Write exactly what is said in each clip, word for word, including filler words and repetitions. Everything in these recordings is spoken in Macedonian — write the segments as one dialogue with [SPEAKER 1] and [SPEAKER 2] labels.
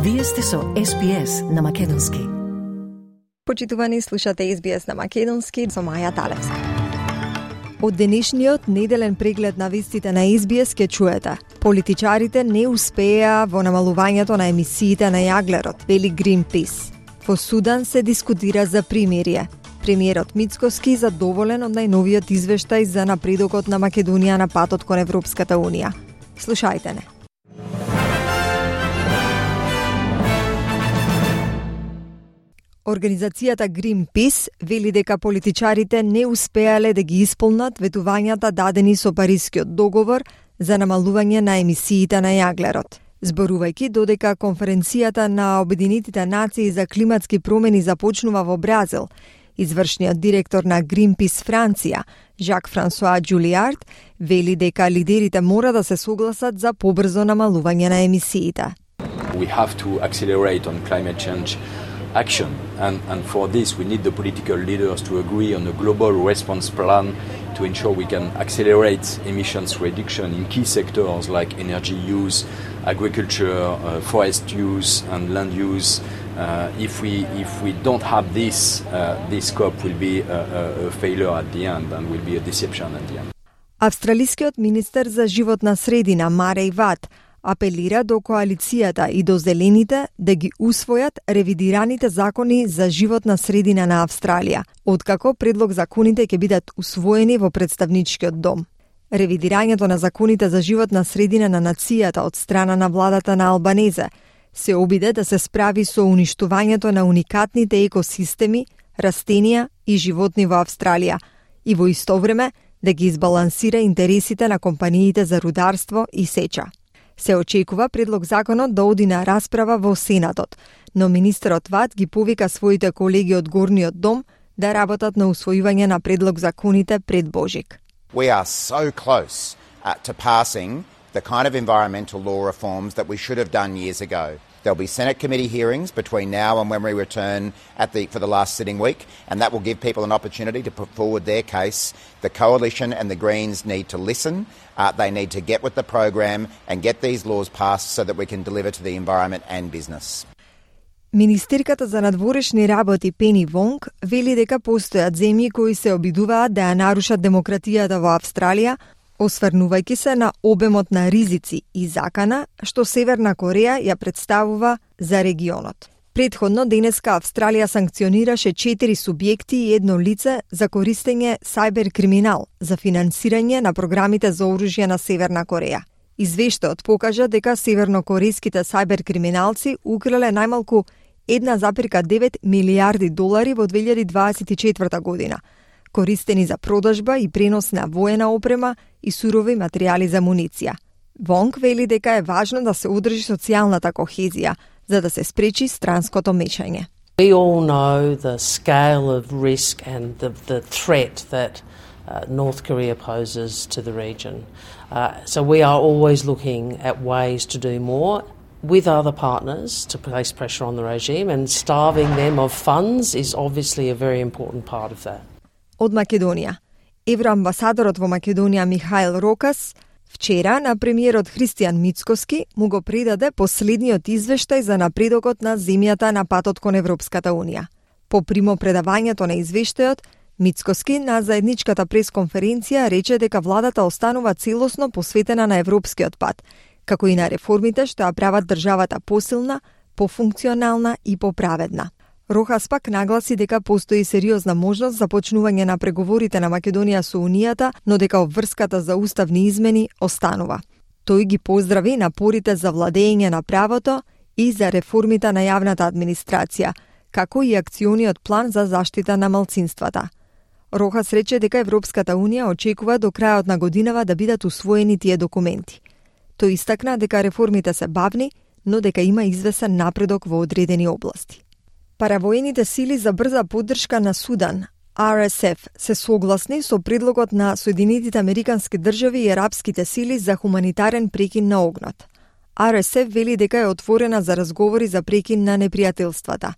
[SPEAKER 1] Вие сте со Ес Би Ес на Македонски.
[SPEAKER 2] Почитувани, слушате Ес Би Ес на Македонски со Маја Талевска. Од денешниот неделен преглед на вестите на Ес Би Ес ке чуете: политичарите не успеа во намалувањето на емисиите на јаглерод, вели Greenpeace. Во Судан се дискутира за примирие. Премиерот Мицкоски задоволен од најновиот извештај за напредокот на Македонија на патот кон Европската Унија. Слушајте не. Организацијата Greenpeace вели дека политичарите не успеале да ги исполнат ветувањата дадени со Парискиот договор за намалување на емисиите на јаглерод. Зборувајќи додека конференцијата на Обединетите нации за климатски промени започнува во Бразил, извршниот директор на Greenpeace Франција, Жак Франсуа Джулиард, вели дека лидерите мора да се согласат за побрзо намалување на емисиите.
[SPEAKER 3] We have to accelerate on climate change action, and, and for this we need the political leaders to agree on a global response plan to ensure we can accelerate emissions reduction in key sectors like energy use, agriculture, uh, forest use and land use. Uh, if we if we don't have this, uh, this COP will be a, a failure at the end and will be a deception at the end.
[SPEAKER 2] Австралискиот министер за животна средина Марей Ват апелира до коалицијата и до зелените да ги усвојат ревидираните закони за животна средина на Австралија, откако предлог законите ќе бидат усвоени во представничкиот дом. Ревидирањето на законите за животна средина на нацијата од страна на владата на Албанезе се обиде да се справи со уништувањето на уникатните екосистеми, растенија и животни во Австралија и во исто време да ги избалансира интересите на компаниите за рударство и сеча. Се очекува предлог законот да оди на расправа во Сенатот, но министерот Ват ги повика своите колеги од Горниот дом да работат на усвојување на предлог законите пред Божик.
[SPEAKER 4] We are so close uh, to passing the kind of environmental law reforms that we should have done years ago. There'll be Senate committee hearings between now and when we return at the, for the last sitting week, and that will give people an opportunity to put forward their case. The Coalition and the Greens need to listen. Uh, they need to get with the program and get these laws passed so that we can deliver to the environment and business.
[SPEAKER 2] Министерката за надворешни работи Пени Вонг вели дека постојат земји кои се обидуваат да ја нарушат демократијата во Австралија, осврнувајќи се на обемот на ризици и закана што Северна Кореја ја представува за регионот. Предходно денеска Австралија санкционираше четири субјекти и едно лице за користење сајбер криминал за финансирање на програмите за оружје на Северна Кореја. Извештајот покажа дека севернокорејските сајбер криминалци украле најмалку една запирка девет милијарди долари во две илјади дваесет и четврта година, користени за продажба и пренос на воена опрема и сурови материјали за муниција. Вонг вели дека е важно да се одржи социјалната кохезија, за да се спречи странското мешање.
[SPEAKER 5] We all know the scale of risk and the, the threat that uh, North Korea poses to the region. Uh, so we are always looking at ways to do more with other partners to place pressure on the regime, and starving them of funds is obviously a very important part of that.
[SPEAKER 2] Од Македонија. Евроамбасадорот во Македонија Михаил Рокас вчера на премиерот Христијан Мицкоски му го предаде последниот извештај за напредокот на земјата на патот кон Европската Унија. По примопредавањето на извештајот, Мицкоски на заедничката пресконференција рече дека владата останува целосно посветена на европскиот пат, како и на реформите што ја прават државата посилна, пофункционална и поправедна. Рохас пак нагласи дека постои сериозна можност за почнување на преговорите на Македонија со Унијата, но дека обврската за уставни измени останува. Тој ги поздрави напорите за владење на правото и за реформите на јавната администрација, како и акциониот план за заштита на малцинствата. Рохас рече дека Европската Унија очекува до крајот на годинава да бидат усвоени тие документи. Тој истакна дека реформите се бавни, но дека има извесен напредок во одредени области. Паравоените сили за брза поддршка на Судан, Ар Ес Еф, се согласни со предлогот на Соединетите Американски држави и арапските сили за хуманитарен прекин на огнот. Ар Ес Еф вели дека е отворена за разговори за прекин на непријателствата.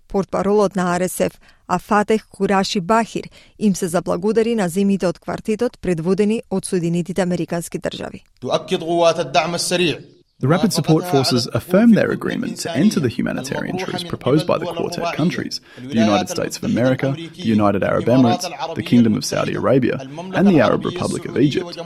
[SPEAKER 2] Портпаролот на Ар Ес Еф, Афатех Кураши Бахир, им се заблагодари на земјите од квартетот предводени од Соединетите Американски држави.
[SPEAKER 6] تؤكد قوات الدعم السريع The Rapid Support Forces affirmed their agreement to enter the humanitarian truce proposed by the Quartet countries, the United States of America, the United Arab Emirates, the Kingdom of Saudi Arabia, and the Arab Republic of Egypt.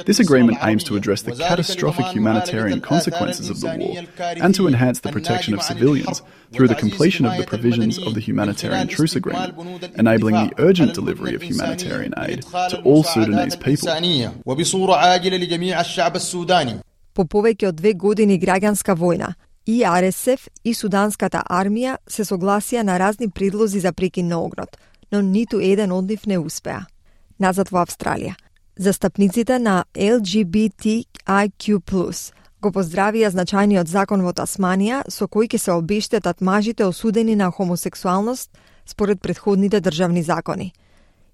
[SPEAKER 6] This agreement aims to address the catastrophic humanitarian consequences of the war and to enhance the protection of civilians through the completion of the provisions of the Humanitarian Truce Agreement, enabling the urgent delivery of humanitarian aid to all Sudanese people.
[SPEAKER 2] По повеќе од две години граѓанска војна, и Ар Ес Еф и Суданската армија се согласија на разни предлози за прекин на огнот, но ниту еден од нив не успеа. Назад во Австралија. Застапниците на Ел Джи Би Ти Ај Кју плюс го поздравија значајниот закон во Тасманија со кој ќе се обештетат мажите осудени на хомосексуалност според претходните државни закони.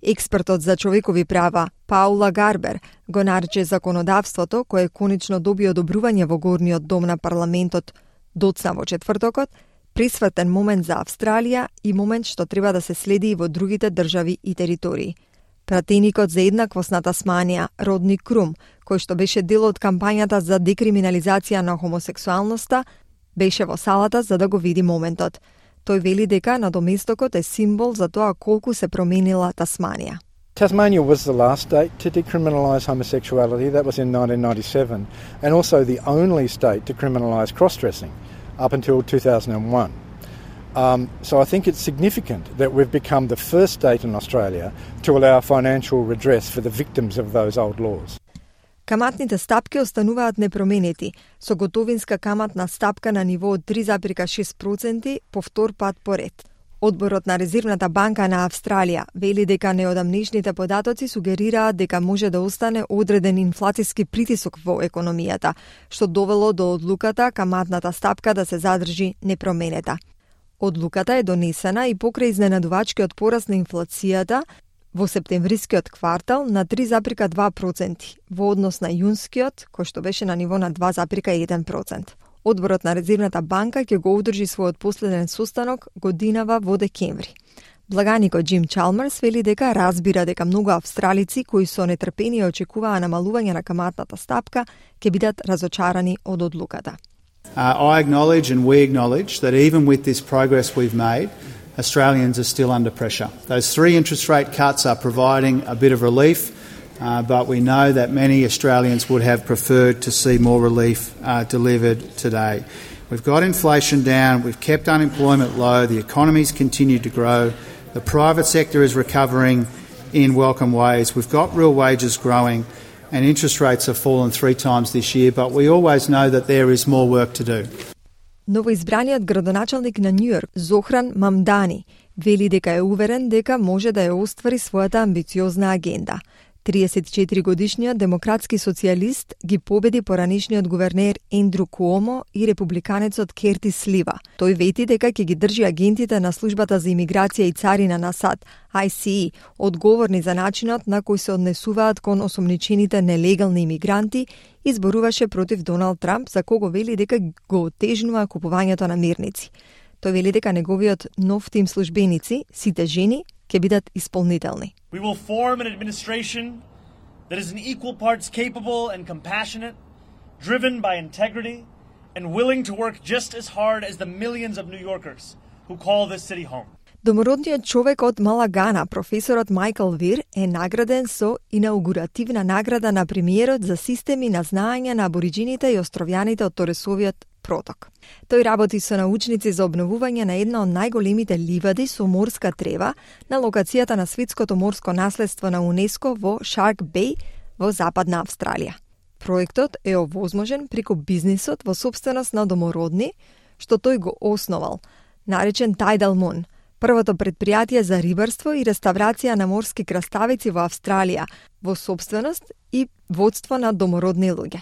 [SPEAKER 2] Експертот за човекови права Паула Гарбер го нарече законодавството, кое конечно доби одобрување во горниот дом на парламентот доцна во четвртокот, присвртен момент за Австралија и момент што треба да се следи и во другите држави и територии. Пратеникот за еднаквост на Тасманија, Родни Крум, кој што беше дел од кампањата за декриминализација на хомосексуалноста, беше во салата за да го види моментот. Тој вели дека надоместокот е символ за тоа колку се променила Тасманија.
[SPEAKER 7] Tasmania was the last state to decriminalise homosexuality. That was in nineteen ninety-seven, and also the only state to criminalise cross-dressing up until two thousand one. Um, so I think it's significant that we've become the first state in Australia to allow financial redress for the victims of those old laws.
[SPEAKER 2] Каматните стапки остануваат непроменети, со готовинска каматна стапка на ниво од три зарез и шест проценти по втор пат поред. Одборот на Резервната банка на Австралија вели дека неодамнешните податоци сугерираат дека може да остане одреден инфлацијски притисок во економијата, што довело до одлуката каматната стапка да се задржи непроменета. Одлуката е донесена и покрај изненадувачкиот пораст на инфлацијата во септемврискиот квартал на три зарез и два проценти, во однос на јунскиот, кој што беше на ниво на два зарез и еден процент. Одборот на Резервната банка ќе го одржи својот последен состанок годинава во декември. Благаникот Джим Чалмерс вели дека разбира дека многу австралици кои со нетрпение очекуваа намалување на каматната стапка ќе бидат разочарани од одлуката.
[SPEAKER 8] Uh, I acknowledge and we acknowledge that even with this progress we've made, Australians are still under pressure. Those three interest rate cuts are providing a bit of relief, uh, but we know that many Australians would have preferred to see more relief uh, delivered today. We've got inflation down, we've kept unemployment low, the economy's continued to grow, the private sector is recovering in welcome ways, we've got real wages growing, and interest rates have fallen three times this year, but we always know that there is more work to do.
[SPEAKER 2] Новоизбраниот градоначалник на Њујорк, Зохран Мамдани, вели дека е уверен дека може да ја оствари својата амбициозна агенда. триесет и четири годишниот демократски социјалист ги победи поранешниот гувернер Ендрю Куомо и републиканецот Кертис Лива. Тој вети дека ќе ги држи агентите на службата за имиграција и царина на САД, Ај Си И, одговорни за начинот на кој се однесуваат кон осомничените нелегални имигранти и зборуваше против Доналд Трамп, за кого вели дека го отежнува купувањето на мирници. Тој вели дека неговиот нов тим службеници, сите жени, ќе бидат исполнителни.
[SPEAKER 9] We will form an administration that is in equal parts capable and compassionate, driven by integrity, and willing to work just as hard as the millions of New Yorkers who call this city home.
[SPEAKER 2] Домородниот човек од Малагана, професорот Майкл Вир, е награден со инаугуративна награда на премиерот за системи на знаење на абориджините и островјаните од Торесовиот проток. Тој работи со научници за обновување на една од најголемите ливади со морска трева на локацијата на светското морско наследство на УНЕСКО во Шарк Беј во Западна Австралија. Проектот е овозможен преку бизнисот во собственост на домородни, што тој го основал, наречен Tidal Moon, првото предпријатие за рибарство и реставрација на морски краставици во Австралија, во собственост и водство на домородни луѓе.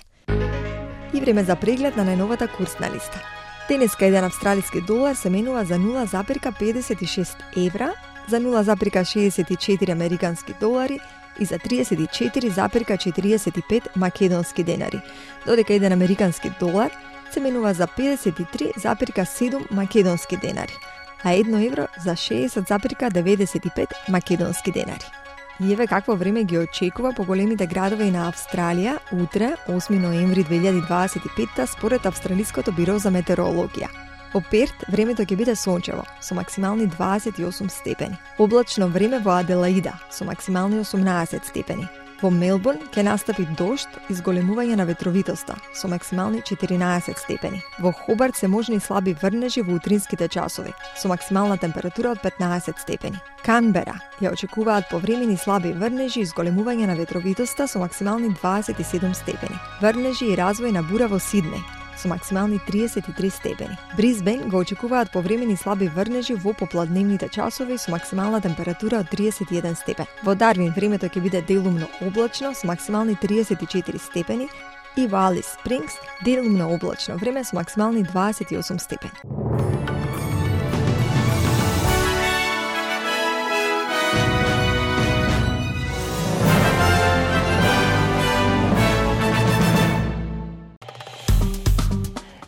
[SPEAKER 2] И време за преглед на најновата курсна листа. Денеска еден австралиски долар се менува за нула зарез педесет и шест евра, за нула зарез шеесет и четири американски долари и за триесет и четири зарез четириесет и пет македонски денари, додека еден американски долар се менува за педесет и три зарез седум македонски денари, а едно евро за шеесет зарез деветдесет и пет македонски денари. И еве какво време ги очекува по големите градови на Австралија утре, осми ноември две илјади дваесет и петта, според Австралиското биро за метеорологија. Во Перт времето ќе биде сончево со максимални дваесет и осум степени. Облачно време во Аделаида со максимални осумнаесет степени. Во Мелбурн ќе настапи дожд и зголемување на ветровитоста со максимални четиринаесет степени. Во Хобарт се можни слаби врнежи во утринските часови со максимална температура од петнаесет степени. Канбера ја очекуваат повремени слаби врнежи и зголемување на ветровитоста со максимални дваесет и седум степени. Врнежи и развој на бура во Сиднеј со максимални триесет и три степени. Брисбен го очекуваат повремени слаби врнежи во попладневните часови со максимална температура од триесет и еден степен. Во Дарвин времето ќе биде делумно облачно со максимални триесет и четири степени и во Алис Спрингс делумно облачно време со максимални дваесет и осум степени.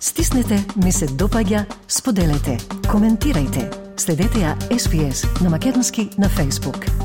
[SPEAKER 1] Стиснете, ми се допаѓа, споделете, коментирајте. Следете ја Ес Би Ес на македонски на Facebook.